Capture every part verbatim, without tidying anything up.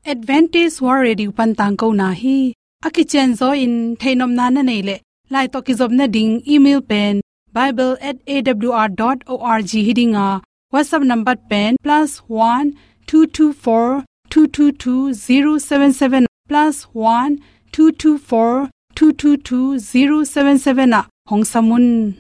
Adventist World Radio pan tangkona hi. A kicianzaw in theihnopna na neih leh, lai tawh kizopna ding email pen bible at A W R dot org hi ding a, WhatsApp number pen plus one two two four two two two zero seven seven, plus one two two four two two two zero seven seven ah hong sam un.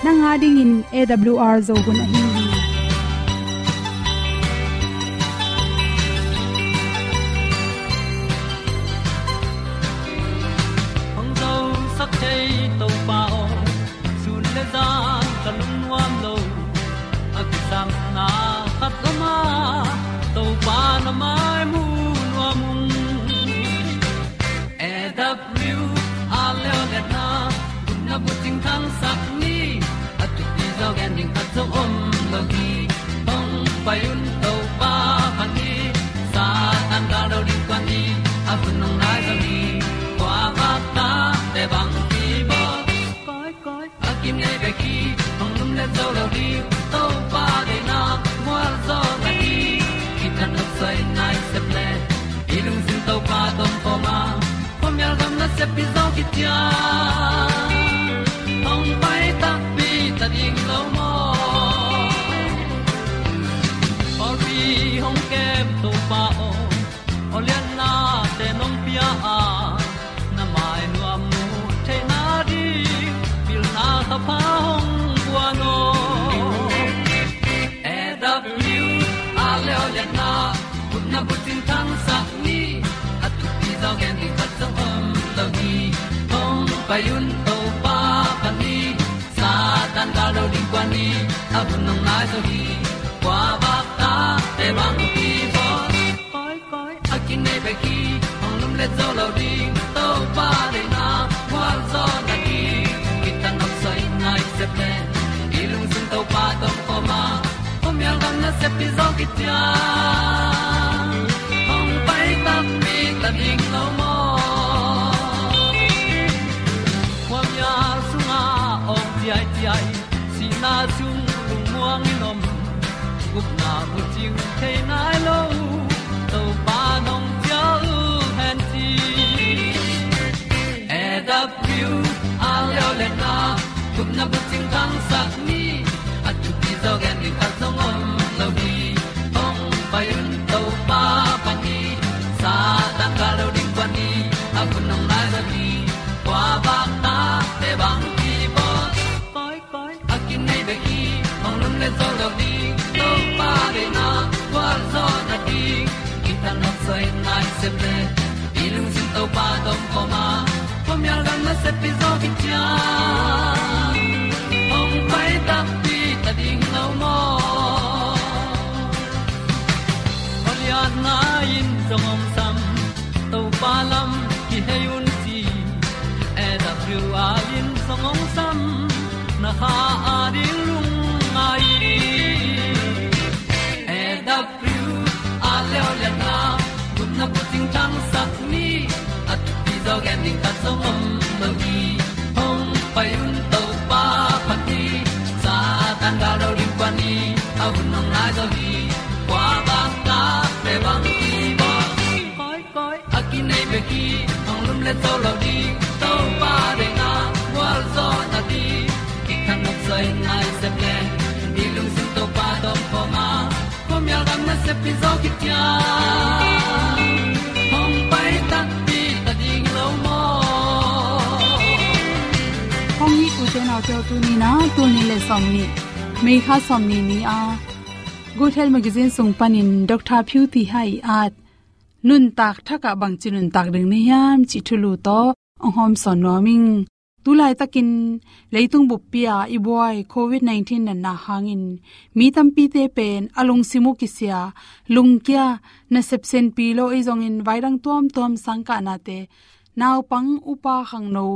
Nang a dingin A W R Zo hun ahi hi. Hong zosak thei Topa aw, sun le zan ka lungnuam lo. A kisapna khat om a, Topa na mai mu nuam ung. A W R Leoliatna, gupna bucing thangsak ni, a thupi zaw gen ding khat zong om lo hi. Hong pai un Topa phat ni, Satan gal do ding kuan ni, a hun hong nai zaw ni, kua vak ta te bang hi baw. Koi, koi, a kim nei bek hi, hong lum le zo lo ding, Topa deihna mual zaw na hi. Kitang nok soi nai sep le, i lungsim Topa tawh kawm a, khuamial gam nasep pi zaw kician, hong pai takpi ta ding lo maw. Pawlpi hong kem Topa aw, aw liannate nong pia a, na mai nuam mu theihna ding pilna thapha hong guan aw. A W R Leoliatna, gupna bucing thangsak ni, a thupi zaw gen ding khat zong om lo hi. Hong pai un Topa phat ni, Satan gal do ding kuan ni, a hun hong nai zaw hi. Kua vak ta te bang hi baw. Koi, koi, a kim nei bek hi, hong lum le zo lo ding, Topa deihna mual zaw na hi. Kitang nok soi nai sep le, i lungsim Topa tawh kawm a, khuamial gam nasep pi zaw kician, hong pai takpi ta ding lo maw. Khuamial sungah awng ciaiciai, sihna sung lungmuang in om, gupna bucing thei nai lo, Topa nong cial hen ci. A W R Leoliatna, gupna bucing thangsak ni, a thupi zaw gen ding khat zong om lo hi. Hong pai un Topa phat ni, Satan gal do ding kuan ni, a hun hong nai zaw hi. Kua vak ta te bang hi baw. Koi, koi, a kim nei bek hi, hong lum le zo lo ding, Topa deihna gual zaw na ding. Kitang nok soi nai sep le, i lungsim Topa tawh kawm a, khuamial gam nasep pi zaw kician, hong pai takpi ta ding lo maw. Aw liatna in zong hong sam, Topa lam kihei un ci. A W R in zong hong sam, na kha a ding lungngai. A W R Leoliatna, gupna bucing thangsak ni, a thupi zaw gen ding khat zong om lo hi. Hong pai un Topa phat ni, Satan gal do ding kuan ni, a hun hong nai zaw hi. Kua vak ta te bang hi baw. Koi, koi, a kim nei bek hi, hong lum le zo lo ding, Topa deihna gual zaw na ding. Kitang nok soi nai sep le, i lungsim Topa tawh kawm a, khuamial gam nasep pi zaw kician, hong pai takpi ta ding lo maw. Hong it ute naute aw, tuni in ah tul nih le sawmnih, May kha sawmnih ni a Good Health Magazine sung panin Doctor Phyu Thi Hai at nuntak thak ah bangci nuntak ding na hiam cih thulu tawh hong hawmsawn nuam ing. Tulaitakin leitung buppi-a i buai covid nineteen natna hangin mi tampite pen a lungsim uh kisia, lungkia, nasep senpi lo, ahi zongin vaidang tuamtuam, sangkahnate, naupang, upa, khangno,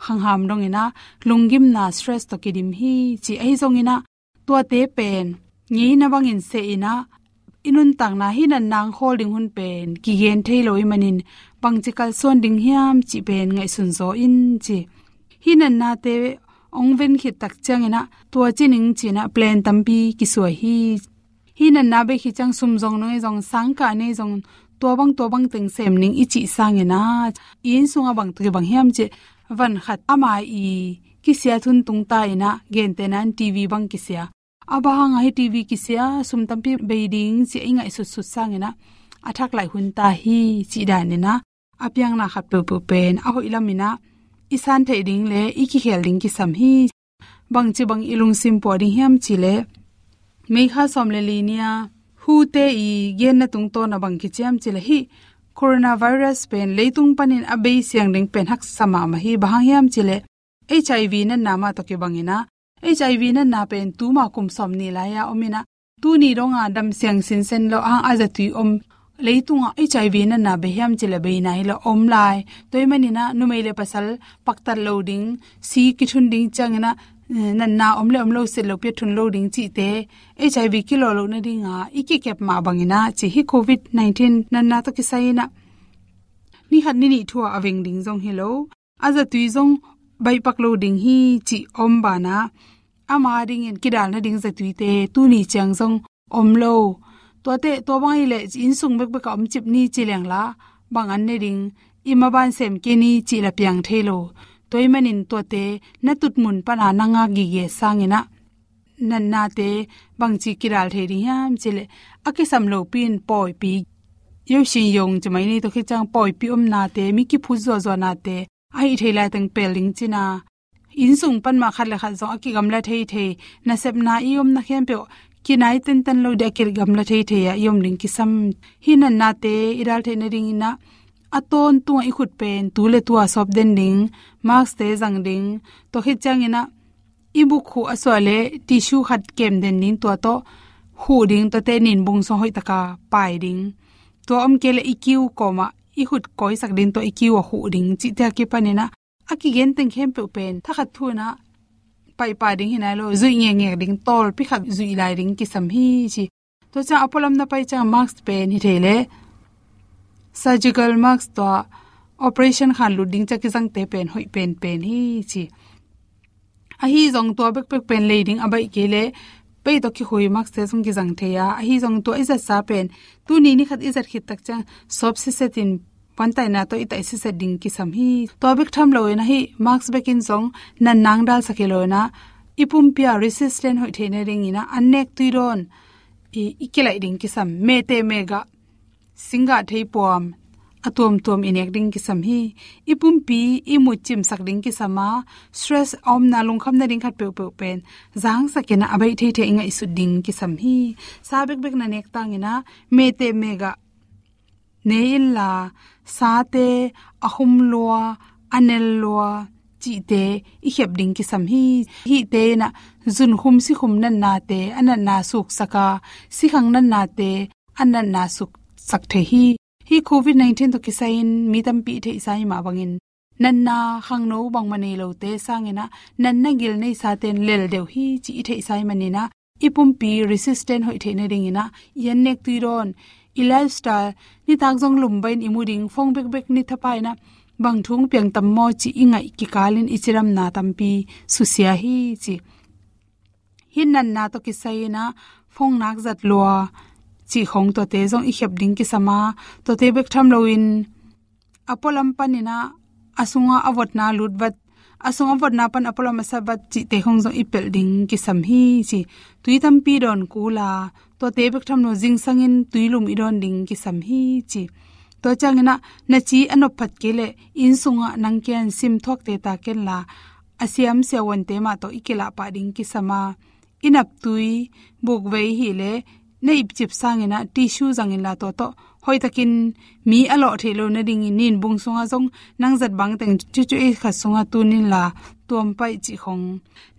khangham dongin ah lunggimna, stress tawh kidim hi ci. Ahi zongin ah tuate pen ngeina bangin seh in ah, i nuntakna, hih natna hong khawl ding hun pen kigen thei lo ahih manin bangci kalsuan ding hiam cih pen ngaihsun zaw in ci. Hih natnate hong ven khit tak ciangin ah tua ci ning ci-in ah plan tampi kisuai hi. Hih natna bei khit ciang sum zong, nong ei zong, sangkah nei zong, tua bang tua bang teng sem ning i cih sangin ah, i inn sungah bang tawh kibang hiam cih, van khat ama i kisiat hun tungta in ah, gentehna in TV bang kisia. A bang hang a hih TV kisia, sum tampi bei ding cih i ngaihsutsut sangin ah, a thak laih hun ta hi cih danin ah, a piangna khat peuhpeuh pen a hoih lamin ah i san theih ding le i kikhel ding kisam hi. Bangci bang i lungsim puah ding hiam cih leh, May kha sawm le li ni-a WHO-te i genna tungtawn ah bang kici hiam cih leh, hih coronavirus pen leitung panin a bei siang ding pen haksa mahmah hi. Bang hang hiam cih leh HIV natna mah tawh kibangin ah, HIV natna pen tuma kum sawmnih lai-a om in ah, tuni dong a dam siang sinsen lo, a hang a zatui om, leitungah HIV natna bei hiam cih leh bei nai lo, om lai. Tua ahih manin ah numei le pasal paktat lo ding, si kithun ding ciangin ah, eh, natna om le om lo, sit lopi-a thun lo ding cihte, HIV kilawh loh nading a i kikep mah bangin ah ci, hih covid nineteen natna tawh kisai in ah ni khat ni nih thu-a a veng ding zong hi lo, a zatui zong baihpak lo ding hi cih om banah, ama dingin kidal nading zatuite tuni ciang zong om lo. Tuate, tua bang ahih leh inn sung bekbek ah om cip ni ci leng la, bang an ne ding, i maban sem kei ni cih la piang thei lo. Tua ahih manin tuate na tutmun pana na ngak gige sangin ah, natnate bangci kidal thei ding hiam cih leh, a kisam lopi in pawipi, yo shin yong ci mai ni, tua khit ciang pawipi omnate, mi kiphut zuahzuahnate, a hih thei laiteng pel ding cihna, inn sung pan mah khat le khat zong a kigamla theithei, nasepna i omna khempeuh kinai tentan lo ding, a kigamla theithei ah i om ding kisam. Hih natnate i dal theih nadingin ah, a tawntungah i khut pen tu le tu-a sawp den ding, mask-te zang ding, tua khit ciangin ah i buk khuh a suah leh tissue khat kem den ding, tua tawh khuh ding, tuate ninbung sung hoih taka pai ding. Tua om kei leh i kiu kawmah i khut kawisak ding, tua i kiu ah khuh ding cihte a kipanin ah, a kigen teng khempeuh pen thakhat thu-in ah paipah ding hi nai lo, zuih ngekngek ding, tawlpi khat zuih lai ding kisam hi ci. Tua ciang a pualam na pai ciang mask pen hi thei leh, surgical mask, tua operation khan lut ding ciang kizangte pen hoih penpen hi ci. Ahi zong tua bekbek pen lei ding a baih kei leh, pei tawh kikhui mask-te zong kizang thei a, ahi zong tua i zatsa pen tuni ni khat i zat khit tak ciang sawp siset in, pantaina tawh i taih siset ding kisam hi. Tua bek tham loin ah, hih mask bekin zong natna hong dalsak hi loin ah, i pumpi-a resistant hoih theih nadingin ah, an nek tui dawn i, i kilaih ding kisam. Mehte mehgah, singgah theipuam a tuamtuam i nek ding kisam hi. I pumpi i mut cimsak ding kisam a, stress a omna, lungkham nading khat peuhpeuh pen zangsakin ah, a baih theithei i ngaihsut ding kisam hi. Sa bekbek na nek tangin ah, mehte mehgah nei inla, sate a khum lua, a nel lua cihte i khep ding kisam hi. Hihte in ah zunkhum sikhum natnate, a natna suksak a, sikhang natnate a natna suksak thei hi. Hih covid nineteen tawh kisai-in mi tampi i theihsa hi mah bangin, natna khangno bangmah nei lote sangin ah, natna gil neisate in lel deuh hi cih i theihsa hi manin ah, i pumpi resistant hoih theih nadingin ah, i an nek tui dawn, i lifestyle, nitak zong lumbain i mu ding, phone bekbek ni thapai-in ah, bang thu hong piang tam maw cih i ngaih kikalin i cidamna tampi susia hi ci. Hih natna tawh kisai-in ah, phone nak zat lua cih khong, tuate zong i khep ding kisam a, tuate bek tham loin, a pualam panin ah, a sungah a votna lut vat, a sung a votna pan a pualam a sat vat cihte khong zong i pelh ding kisam hi ci. Tui tampi dawn kul a, tuate bek tham lo, zingsangin tui lum i dawn ding kisam hi ci. Tua ciangin ah, na ci a nop phat kei leh, inn sungah nang kiang sim thuakte ta kenla, a siam siavuante mah tawh i kilah pah ding kisam a, i naptui, bukvei hi leh, na ipcip sangin ah tissue zangin la, tua tawh hoihtakin mi a lawh theih loh nadingin nin bung sungah zong nang zat bangteng cucu ei khat sungah tun inla tuam paih cih khong.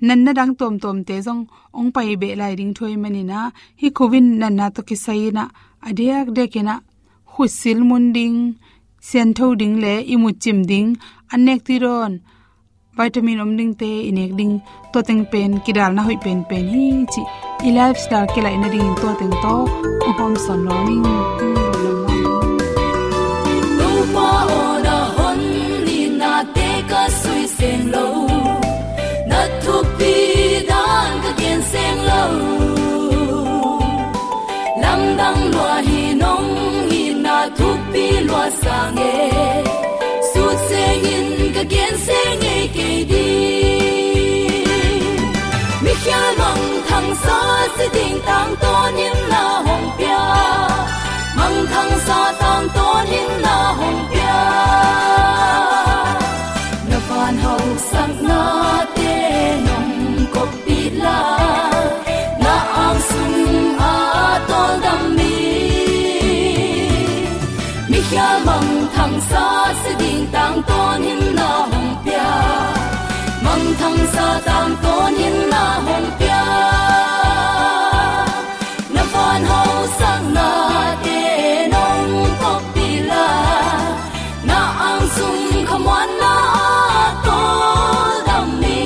Natna dang tuamtuamte zong hong pai beh lai ding thu ahih manin ah, hih Covid natna tawh kisai in ah a diakdiakin ah khutsil mun ding, siangtho ding le ihmut cim ding, an nek tuidawn vitamin om dingte i nek ding, tua teng pen kidalna hoih penpen hi cih i lifestyle kilaih nadingin tua teng tawh hong hawmsawn nuam ing. Topa aw, na hon nitnate ka sui seng lo, na thukpi dan ka gen seng lo. Lamdang lua hi, nong itna thukpi lua sang e, sut sengin ka gen seng ngei kei ding. Mikhial mangthangsa si ding tangtawn in na hong pia, mangthangsa tangtawn in na hong pia. Na van hausaknate nong koppih la, na angsung a tawldam mi. Mikhial mangthangsa si ding tangtawn in na hong pia, mangthangsa tangtawn in na hong pia. Na van hausaknate nong koppih la, na angsung khamuanna a tawldam mi.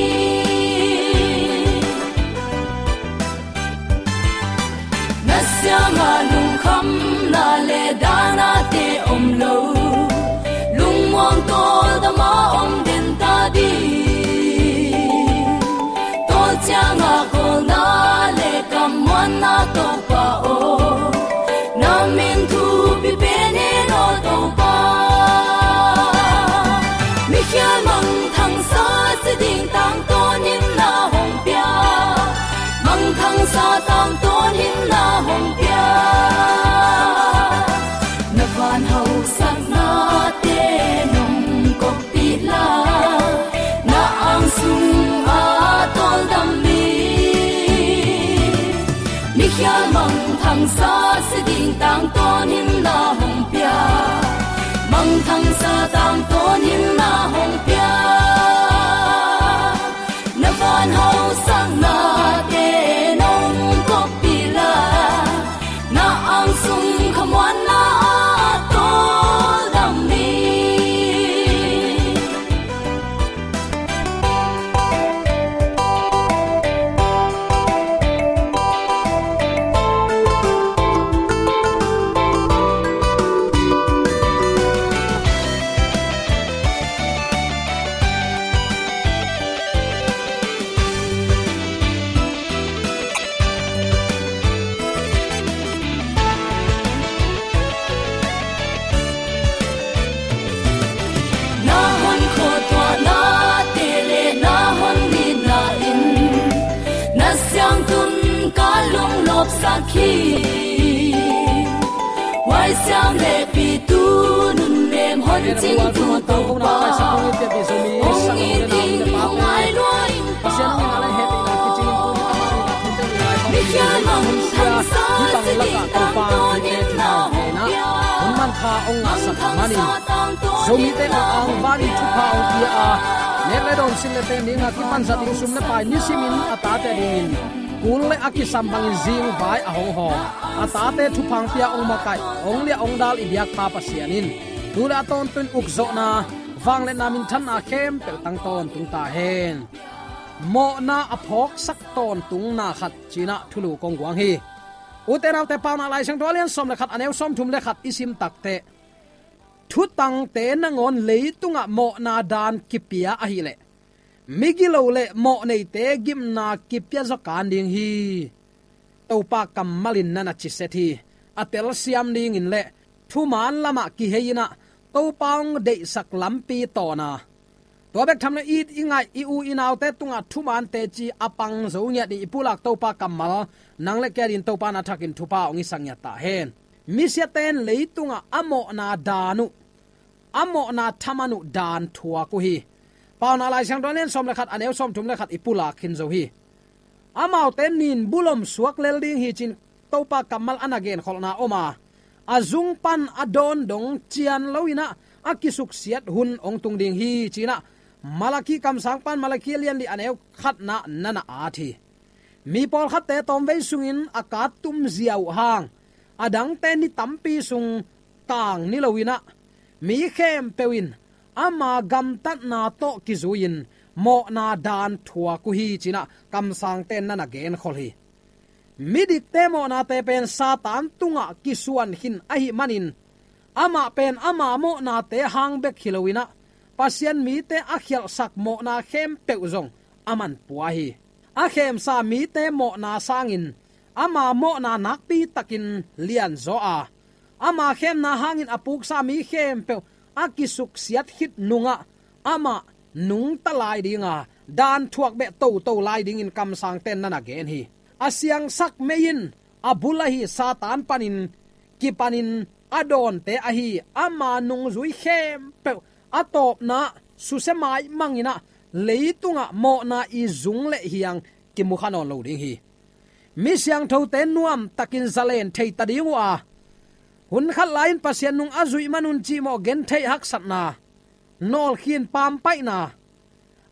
Na siangah lungkhamna le danate om lo, lungmuang tawldam a om den ta ding. Tawl ciangah khawlna le kammuanna Topa aw, na min thupi pen hen aw Topa. Mikhial mangthangsa si ding tangtawn in na hong pia, mangthangsa tangtawn in na hong pia. Na van hausaknate nong koppih la, na angsung a tawldam mi. Mikhial mangthangsa si ding tangtawn in na hong pia, mangthangsa tangtawn in na hong pia. Na van hausaknate nong koppih la, na angsung khamuanna a tawldam mi. Na hon khuatuahnate le na hon nitna in na siangtun ka lunglawpsak hi. Huaisiam le pitu nunnem hon cingtu Topa, hong it ing, hong ai lua ing. Pasian hong ina le hehpihna kicing in tuni amah ina thute ina i hong hong sia hih bang lakah Topa in hite thuthang henah hun manpha hong ngahsak manin Zomite hong angvanin thupha hong pia a, nek le dawn, sin le teng dinga kipanzat ding sum le pai nisimin a tate dingin kul le a kisam bangin zingvai a hong hawm a tate thupha hong pia hong makaih hong liah hong dal i biakpa Pasian in tu le a tawntung ukzawhna vangliatna minthanna khempeuh tang tawntung ta hen. Mawhna a phawksak tawntungna khat cinah thulu kong guang hi. Ute naute, Paunak Lai Siangtho a lian sawm le khat, a neu sawmthum le khat i sim takteh thutangte nangawn leitungah mawhna dan kipia ahileh migilo le mawhneite gimna kipia zaw kan ding hi. Topa kammal in na na ciset hi. A telsiam dingin le thuman lamah kihei inah Topa hong deihsak lampi tawna tua bek tham lo, i, i ngaih i u i naute tungah thuman teci a pang zo ngiat ding i pulak Topa kammal nang le kei adingin Topa na thakin thupha hong hisak ngiat ta hen. Misiate in leitungah a mawhna dan uh, a mawhna thaman uh dan thuak uh hi. Paunak Lai Siangtho a lian sawm le khat, a neu sawmthum le khat i pulak khin zo hi. Amaute nin bulom suak lel ding hi cin Topa kammal a na genkholhna om a, a zung pan a dawn dong cian lo in ah a kisuksiat hun hong tung ding hi ci-in ah Malakhi kamsang pan Malakhi a lian li a neu khatna na na at hi. Mi pawlkhatte tawmvei sungin a kat tumzia uh hang, a dangte ni tampi sung tang ni lo in ah mi khempeuh in ama gamtatna tawh kizui-in mawhna dan thuak uh hi ci-in ah kamsangte na na genkhol hi. Midikte mawhnate pen Satan tungah kisuan khin ahih manin, amah pen ama mawhnate hang bek hi lo in ah Pasian mite a khialhsak mawhna khempeuh zong a man pua hi. A khemsa mite mawhna sangin ama mawhna nakpi takin lianzaw a, ama khemna hangin a puksa mi khempeuh a kisuksiat khit nungah amah nungta lai ding a, dan thuak beh toto lai dingin kamsangte na na gen hi. A siangsak mei in a bul ahi Satan panin kipanin a dawnte ahi ama nungzui khempeuh a tawpna susia maimang in ah leitungah mawhna i zung le hiang kimu kha nawn lo ding hi. Mi siangthote nuamtakin zalen thei ta ding uh a, hun khat lai-in Pasian nung a zuih man un cihmawh gentheih haksatna, nawlkhin pampaihna,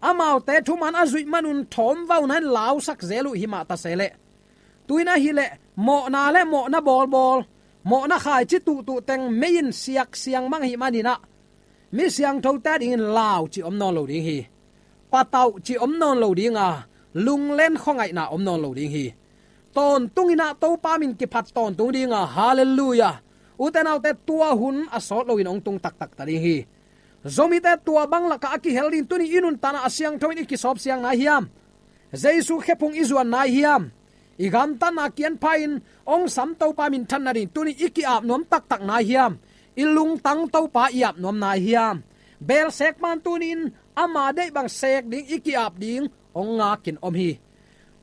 amaute thuman a zuih man un thawmvauna in lausak zel uh hi mah ta se leh, tu-in ahih leh mawhna le mawhna bawlbawl, mawhna khaici tuhtuh teng mei in siaksiang mang ahih manin ah mi siangthote a dingin lau cih om nawn lo ding hi. Patauh cih om nawn lo ding a, lunglen khuangaihna om nawn lo ding hi. Tawntung in ah Topa min kiphat tawntung ding a, halleluiah. Ute naute, tua hun a sawt loin hong tung taktak ta ding hi. Zomite tua bang lakah a kihel ding, tuni i nuntakna a siangtho in i kisawpsiang nai hiam? Jesu khephung i zuan nai hiam? I gamtatna kianpha in hong sam Topa minthan nading tuni i ki-ap nuam taktak nai hiam? I lungtang Topa i ap nuam nai hiam? Belsek pan tuni-in ama deih bang sek ding i ki-ap ding hong ngakin om hi.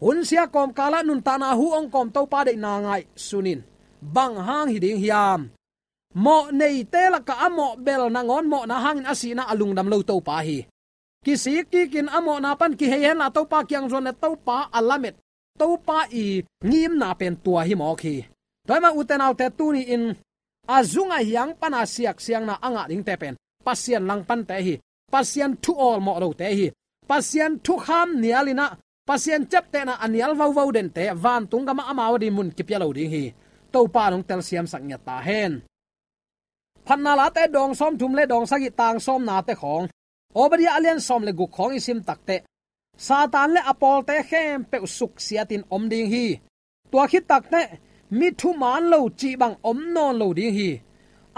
Hunsia kawmkalah nuntakna hu hong kawm Topa deihna ngaihsun in, bang hang hi ding hiam? Mawh neite lakah a mawh bel nangawn mawhna hangin a sihna a lungdam lo Topa hi. Kisik kikin a mawhna pan kihei henla Topa kiang zuan le Topa a lamet, Topa i ngimna pen tua hi mawk hi. Tua hi mah ute naute, tuni-in a zung a hiang pana siaksiangna a ngah dingte pen Pasian langpante hi. Pasian thu awlmawh lote hi. Pasian thukham nial in ah Pasian ciaptehna a nial vauvau dente vantung gamah amau a ding mun kipia lo ding hi. Topa in hong telsiamsak ngiat ta hen. Phatna Late dawng sawmthum le dawng sagih tang sawmnate khawng, Obadiah a lian sawm le guk khawng i sim takteh, Satan le a pawlte khempeuh suksiatin om ding hi. Tua khit takteh mi thuman lo cih bang om nawn lo ding hi.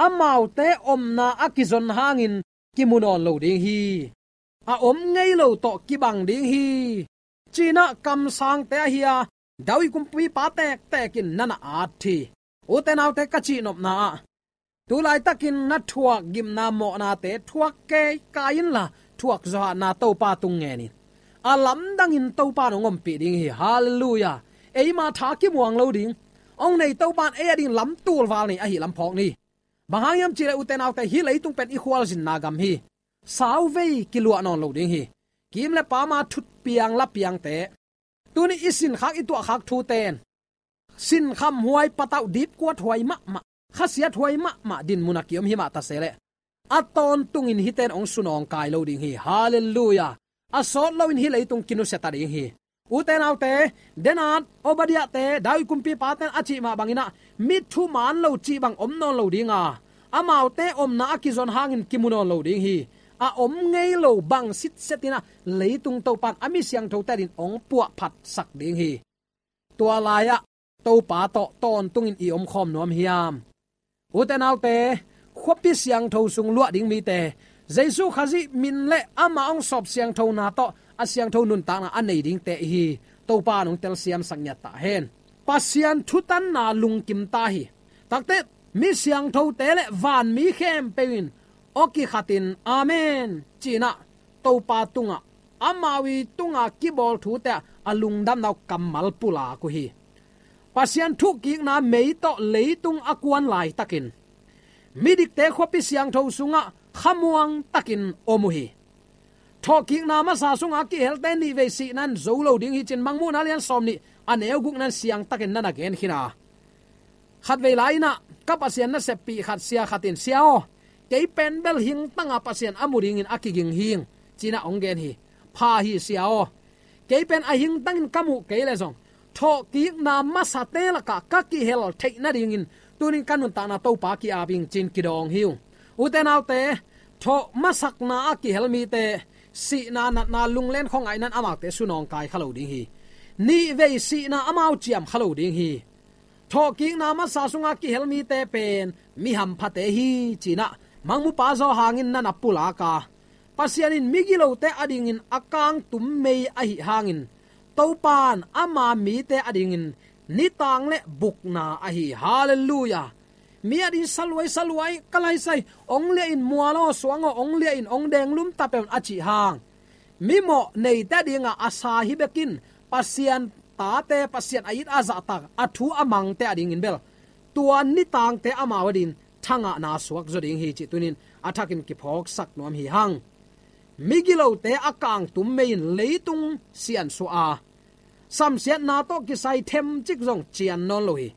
Amaute omna a kizon hangin kimu nawn lo ding hi. A om ngei lo tawh kibang ding hi, ci-in ah kamsangte ahi a, David kumpipa tektek in na na at hi. Ute naute, ka cihnopna ah, tu laitakin na thuak gimna mawhnate thuak keikai inla, thuak zawhahna Topa tung ngen in. A lamdangin Topa in hong ompih ding hi. Halleluiah. Eima tha kimuang lo ding, hong nei Topa in ei a ding lam tulval nei ahi lam phawk ni. Bang hang hiam cih leh ute naute, hih leitung pen i khualzinna gam hi. Sauvei kiluah nawn lo ding hi. Kim le pama thutpiang lapiangte, tuni i sinkhak i tuahkhak thute in sinkhamhuai, patauh dipkuathuai mahmah, khasiathuai mahmah dinmun a ki-om hi mah ta se leh, a tawntungin hihte in hong sunawngkai lo ding hi. Halleluiah. A sawt loin hih leitung kinusia ta ding hi. Ute naute, Daniel, Obadiahte, David kumpipate'n a cih mah bangin ah mi thuman lo cih bang om nawn lo ding a, amaute omna a kizon hangin kimu nawn lo ding hi. A om ngei lo bang sitset in ah leitung Topa'n a mi siangthote adingin hong puahphatsak ding hi. Tua lai-ah Topa tawh tawntungin i omkhawm nuam hiam? Ute naute, khuapi siangtho sung luah ding mite, Jesu Khazih min le amah hong sawp siangthona tawh a siangtho nuntakna a nei dingte i hi. Topa in hong telsiamsak ngiat ta hen. Pasian thutanna lungkim ta hi. Takte, mi siangthote le vanmi khempeuh in aw kikhatin, Amen, ci-in ah Topa tungah, amau i tunga kibawl thute ah a lungdamna uh kammal pulak uh hi. Pasian thuhkikna mei tawh leitung a kuan laitakin midikte khuapi siangtho sungah khamuang takin om uh hi. Thawhkikna masa sunga kihelte nihvei sihna in zo lo ding hi, ci-in Mangmuhna lian sawmnih a neu gukna in siangtakin na na gen khin a, Khatvei lai-in ah ka Pasian naseppih khat sia khat in, "Sia aw, kei pen bel hingtang a Pasian a mu dingin a kiging hi ing," ci-in ah hong gen hi. "Pha hi, Sia aw. Kei pen a hingtangin ka muh kei leh zong thawhkikna masate lakah ka kihel theih nadingin tuni-in ka nuntakna Topa ki-ap ing," ci-in kidawng hi ung. Ute naute, thawh masakna a kihel mite, sihna, natna, lunglen, khuangaihna in amaute sunawngkai kha lo ding hi. Nihvei sihna amau ciam kha lo ding hi. Thawhkikna masa sunga kihel mite pen mi hamphate hi, ci-in ah Mangmupa Johan in na na pulak a, Pasian in migilote adingin a kangtum mei ahih hangin, Topa'n ama mite adingin nitang le bukna ahi. Halleluiah. Mi adingin saluai, saluai, ka laisai, hong liah in, mual aw, suang aw, hong liah in, hong denglum ta pen, a cih hang, mimawh neite adinga a sa hi bekin, Pasian tate, Pasian a it a zahtak, a thu a mangte adingin bel tua nitangte amau adingin thangahna suak zaw ding hi, cih tuni-in a thakin kiphawksak nuam hi hang. Migilote a kangtum mei in leitung siansuah a, samsiatna tawh kisai themcik zong cian nawn lo hi.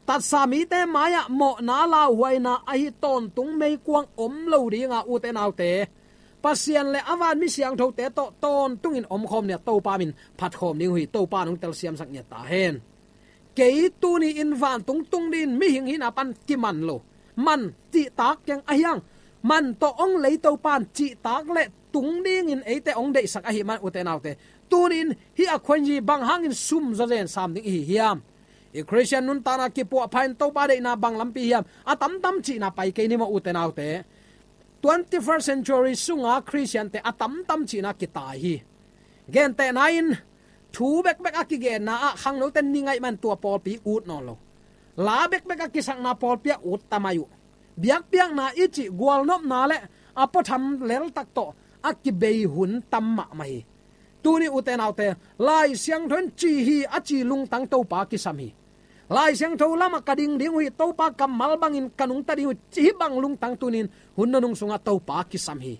Tatsa mite mai-ah mawhna lauhuaina ahi tawntung meikuang om lo ding a, ute naute, Pasian le a vanmi siangthote tawh tawntungin omkhawm ni-a Topa min phatkhawm ding uh hi. Topa in hong telsiamsak ngiat ta hen. Kei tuni-in vantung tung dingin mihing hihna pan kiman lo. Man cihtak keng ahi hang, man tawh hong lei Topa'n cihtak le tung dingin eite hong deihsak ahih man, ute naute, tuni-in hih a khuazi bang hangin sum zawzen sam ding i hi hiam? I Khristian nuntakna kipuahpha in Topa deihna bang lampi hiam? A tamtam cihna pai kei ni maw, ute naute. Twenty-first century sunga Khristiante a tamtam cihna kitai hi. Gentehna in, thu bekbek a kigenna ah khangnote ni ngaih man tua pawlpi ut nawn lo. La bekbek a kisakna pawlpi ah ut ta mai uh. Biakpiakna i cih gualnopna le a puatham leltak tawh a kibei hun tam mahmah hi. Tuni, ute naute, Lai Siangtho in ci hi a ci lungtang Topa kisam hi. Lai Siangtho lamah ka ding ding uh hi, Topa kammal bangin ka nungta ding uh hi, hih bang lungtang tuni-in hun nunung sungah Topa kisam hi.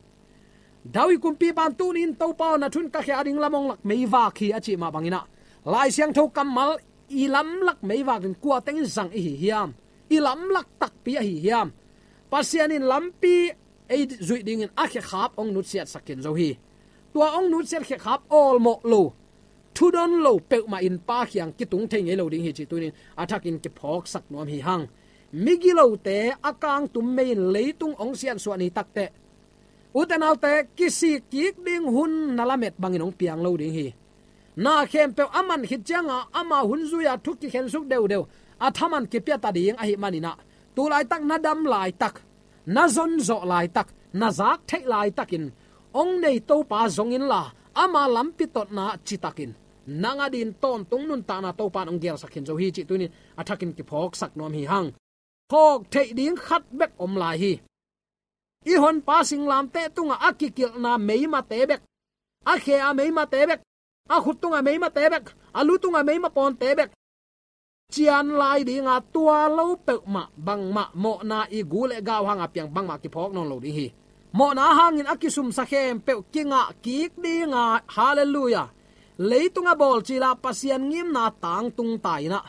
David kumpipa'n tuni-in, "Topa aw, na thu in ka khe ading lam hong lak meivak hi," a cih mah bangin ah, Lai Siangtho kammal i lamlak meivak ding kua tengin zang i hi hiam? I lamlak takpi ahi hiam? Pasian in lampi ei zuih dingin a khekhap hong nutsiatsak khin zo hi. Tua hong nutsiat khekhap awlmawh lo, thudon lo peuhmah in Pa kiang kitung thei ngei lo ding hi, cih tuni-in a thakin kiphawksak nuam hi hang. Migilote a kangtum mei in leitung hong siansuah ni takteh, ute naute, kisik kik ding hun na lamet bangin hong piang lo ding hi. Na khempeuh a man khit cianga ama hun zui-a thu kikhensuk deudeu, a thaman kipia ta ding ahih manin ah, tu laitak na dam laitak, na zonzawh laitak, na zak theih laitakin, hong nei Topa zong inla, ama lampi totna citakin, nang adingin tawntung nuntakna Topa in hong gelsak khin zo hi, cih tuni-in a thakin kiphawksak nuam hi hang. Phawk theih ding khat bek om lai hi. I honpa singlamteh tungah a kikilhna meimate bek, a khe a meimate bek, a khut tungah meimate bek, a lu tungah meima pawnte bek cian lai dinga, tua lo peuhmah bangmah mawhna i gu le gau hanga piang bangmah kiphawk nawn lo ding hi. Mawhna hangin a kisumsa khempeuh kingah kik dinga, halleluiah, leitung a bawlcil ah Pasian ngimna tangtung ta in ah,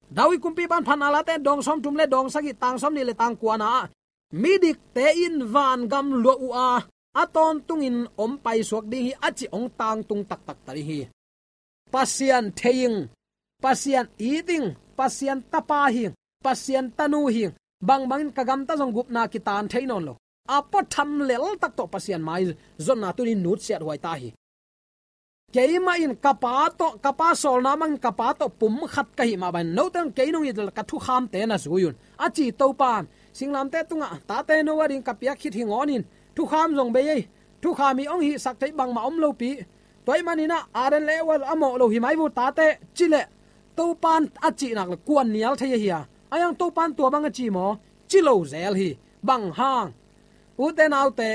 David kumpipa'n Phatna Late dawng sawmthum le dawng sagih, tang sawmnih le tang kuana ah, midikte in vangam luah uh a, a tawntungin om paisuak ding hi, a cih hong tangtung taktak ta ding hi. Pasian thei ing, Pasian it ing, Pasian tapa hi ing, Pasian tanu hi ing, bangbangin ka gamta zong gupna kitan thei nawn lo. A puatham leltak tawh Pasian maizonna tuni nutsiat huai ta hi. Keimah in ka pa tawh, ka pa sawlna bangin ka pa tawh pum khat ka hih mah bangin, note in kei nong it leh ka thukhamte na zui un, a ci Topa'n. Singlamteh tungah, tate, no ading ka piak khit hi ngawn in, thukham zong bei ei, thukham i hong hihsak theih bangmah om lopi. Tua ahih manin ah, Adam le Eva a mawh lo hi mai vua, tate, ci leh, Topa'n a cih nak leh kuan nial thei ahi a. Ahi hang Topa'n tua bang a ci maw? Ci lo zel hi. Bang hang? Ute naute,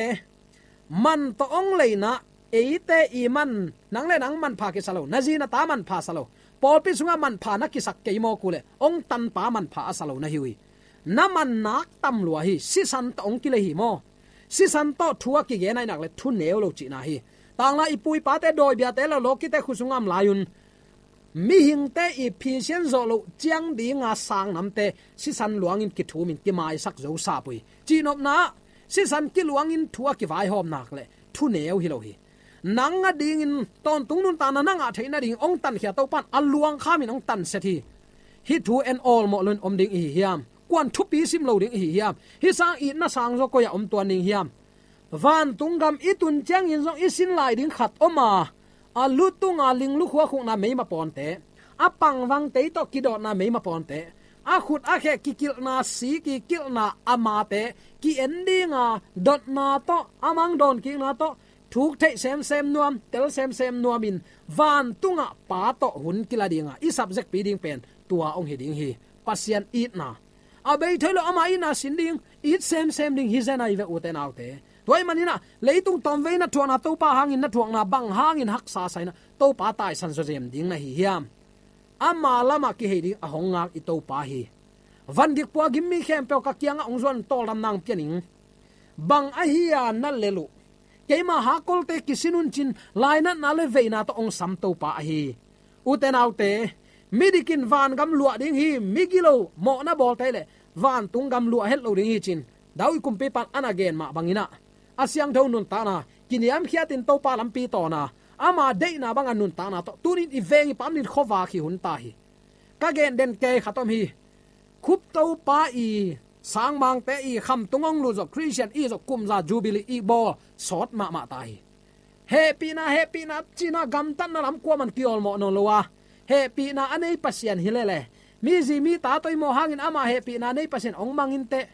man tawh hong leina, eite i man, nang le nang manpha kisa lo, na zi na ta manpha sa lo, pawlpi sungah manpha na kisak kei mawk uh leh, hong tanpa manpha a sa lo na hi uh hi. Na man nak tam lua hi, sisan tawh hong kilei hi maw? Sisan tawh thu a kigen ahih nak leh thu neu lo cihna hi. Tanglai i pu i pate, dawi biate, lawlawkite khut sungah om lai un, mihingte i phisian zawh loh ciang dinga sangnamte sisan luangin kithumin kimaisak zo sap uh hi. Cihnopna ah sisan kiluangin thu a kivaihawm nak le thuneu hi lo hi. Nang a dingin tawntung nuntakna na ngah theih nading hong tankhia Topa in a luangkhamin hong tanset hi. Hih thu en awlmawh loin om ding i hi hiam? Kuan thupi sim lo ding i hi hiam? Hih sang itna sangzaw koi-ah om tuan ding hiam? Vantung gam i tun ciangin zong i sin lai ding khat om a, a lu tunga linglu khuakhukna meima pawnte, a pangvang tei tawh kidawtna meima pawnte, a khut a kheh kikilhna, si kikilhna a mate ki-en dinga dotna tawh, a mang dawnkikna tawh, thuk theih semsem nuam, tel semsem nuamin vantungah Pa tawh hun kila dinga i sapzekpi ding pen tua hong hi ding hi. Pasian itna a bei thei lo, ama itna sin ding, it semsem ding hi zen ahi ve, ute naute. Tua ahih manin ah leitung tawmvei na thuakna Topa hangin na thuakna bang hangin haksa sa in ah Topa taisan zawzem ding na hi hiam? Ama lamah kihei ding a hong ngak i Topa hi. Van gik pua gim mi khempeuh ka kiangah hong zuan tawldam nang pia ning. Bang ahi a na lel uh? Keima hakkolte kisin un cin lainatna le veina tawh hong sam Topa ahi. Ute naute, midik in vangam luah ding hi, migilo mawhna bawlte le vantung gam luah het lo ding hi cin David kumpipa in a na gen mah bangin ah, a siangtho nuntakna kiniamkhiatin Topa lampi tawna, ama deihna banga nuntakna tawh tunin i veng i pamnin khuavak hi hun ta hi. Ka gen den kei khat om hi. Khup Topa i sangmangte i khamtung hong lut zawh, Khristian i zawh, kumza Jubilee i bawl sawt mahmah ta hi. Hehpihna, hehpihna cina gamtatna lam kuaman kiawlmawh nawn lo a, hehpihna a nei Pasian hi lele, mi zi mi ta tawh i mawh hangin ama hehpihna nei Pasian hong mangin teh,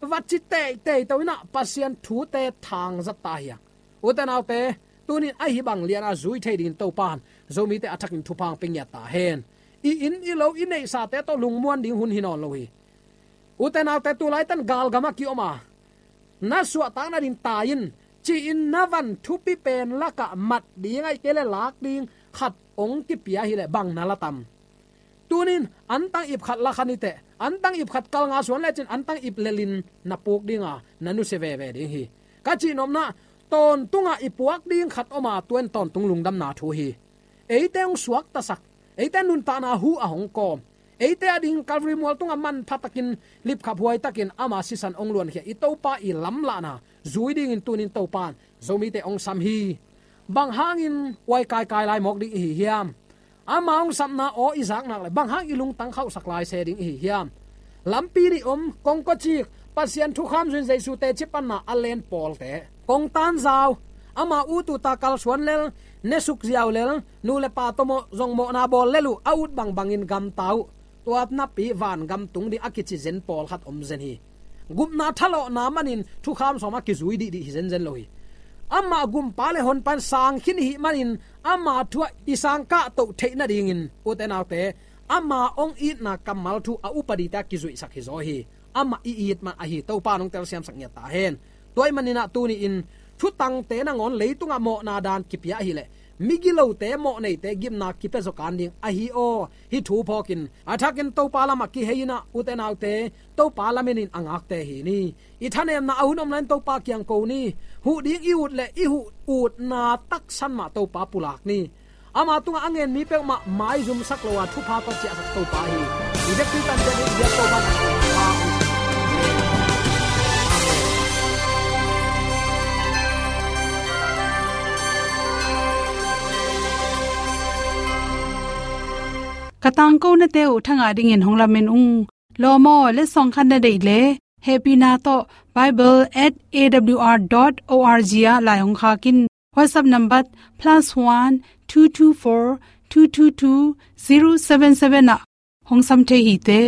va ci teitei to in ah Pasian thute thangzat ta hi a. Ute naute, tunin ahi bang liana zui thei dingin Topa in Zomite a thakin thupha hong pia ngiat ta hen. I inn i lo i neihsate tawh lungmuan ding hun hi nawn lo hi. Ute naute, tulaitan galgamah kiom a, na suahtak nading tai in, ci-in na van thupi pen lakah mat ding ahih kei le lak ding khat hong kipia hileh bang na la tam? Tunin antang ip khat la kha ni teh, antang ip khat kal nga suan lecin antang ip lelin na puk dinga na nusia veve ding hi. Ka cihnopna, tawntungah i puak ding khat om a, tua in tawntung lungdamna thu hi. Eite hong suaktasak, eite nuntakna hu a hong kawm, eite ading Calvary mual tungah manpha takin, lipkhaphuai takin ama sisan hong luankhia i Topa i lamlahna zui dingin tunin Topa in Zomite hong sam hi. Bang hangin uai kaikai lai mawk ding i hi hiam? Ama hong sapna aw i zak nak le bang hang i lungtang khauhsak lai se ding i hi hiam? Lampi nih om, kongkocik, Pasian thukham zuin Jesu teci panna a len pawlte, kongtan zau, ama ut uta kalsuan lel, nesuk ziau lel, nu le pa tawh mawh, zong mawhna bawl lel uh, a ut bangbangin gamta uh. Tua napi vangam tung ding a kici zen pawlkhat om zen hi. Gupna thalawhna manin thukham sawm a kizui dihdih hi zenzen lo hi. Amah gumpa le honpa in sangkhin i hih manin ama thu ah i sangkah toh theih nadingin, ute naute, ama hong itna kammal thu a upadite a kizuihsak hi zaw hi. Amah i it mah ahi Topa in hong telsiamsak ngiat ta hen. Tua ahih manin ah tuni-in thutangte nangawn leitungah mawhna dan kipia ahileh migilote, mawhneite gimna kipia zaw kan ding ahi aw. Hih thu phawkin a thakin Topa lamah kihei in ah, ute naute, Topa lamenin a ngakte hi ni. I thanemna a hun om lai-in Topa kiang ko ni. Huh ding i ut le i huh utna taksan mah Topa pulak ni. Ama tungah a ngen mi peuhmah maizumsak lo a thupha tawh ciahsak Topa hi. I vekpi tante ding biak Topa. Ka tangkonate uh thangah dingin hong lamen ung. Lawm aw, letsong khat na deih leh hehpihna tawh bible at A W R dot O R G ah lai hong khak in. WhatsApp number plus one two two four two two two zero seven seven ah hong sam thei hi teh.